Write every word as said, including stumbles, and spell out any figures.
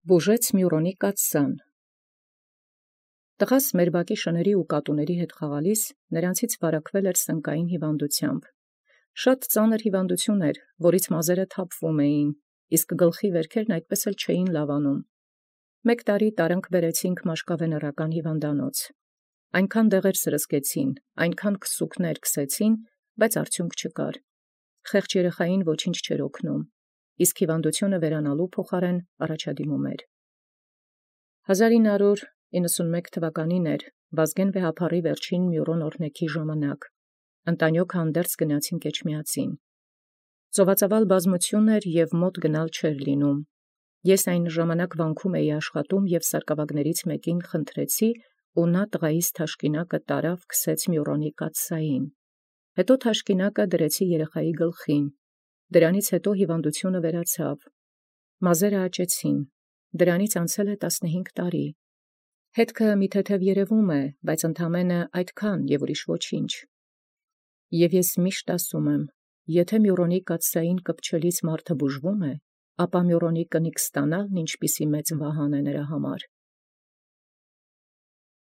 Բուժեց Մյուրոնի կաթսան։ Տղաս մեր բակի շների և կատուների հետ խաղալիս նրանցից վարակվել էր սնկային հիվանդութեամբ։ Շատ ծանր հիվանդութիւն էր, որից մազերը թափվում էին, իսկ գլխի վերքերն այդպես էլ չէին լավանում։ Մեկ տարի տարանք բերեցինք մաշկավենեռական հիվանդանոց։ Այնքան դեղեր սրսկեցին, այնքան քսուքներ քսեցին, բայց արդյունք չկար։ Խեղճ երեխային ոչինչ չէր օգնում, իսկ հիվանդութիւնը վերանալու փոխարեն առաջադիմում էր։ հազար ինը հարյուր իննսունմեկ թվականին էր Վազգեն վեհափառի վերջին Մյուրոն օրհնեքի ժամանակ։ Ընտանիոք հանդերձ գնացինք Էջմիածին։ Ծովածավալ բազմութիւն էր և մոտ գնալ չէր լինում։ Ես այն ժամանակ վանքում էի աշխատում և սարկավագներից մեկին խնդրեցի, ու նա տղայիս թաշկինակը տարավ քսեց Մյուրոնի կաթսային։ Հետո թաշկինակը դրեցի երեխայի գլխին։ Դրանից հետո հիվանդութիւնը վերացավ։ Մազերը աճեցին։ Դրանից անցել է տասնհինգ տարի։ Հետքը մի թեթև երևում է, բայց ընդամենը այդքան և ուրիշ ոչինչ։ Եվ ես միշտ ասում եմ, եթե Մյուրոնի կաթսային կպչելիս մարդը բուժվում է, ապա Մյուրոնի կնիկ ստանալն ինչպիսի մեծ վահան է նրա համար։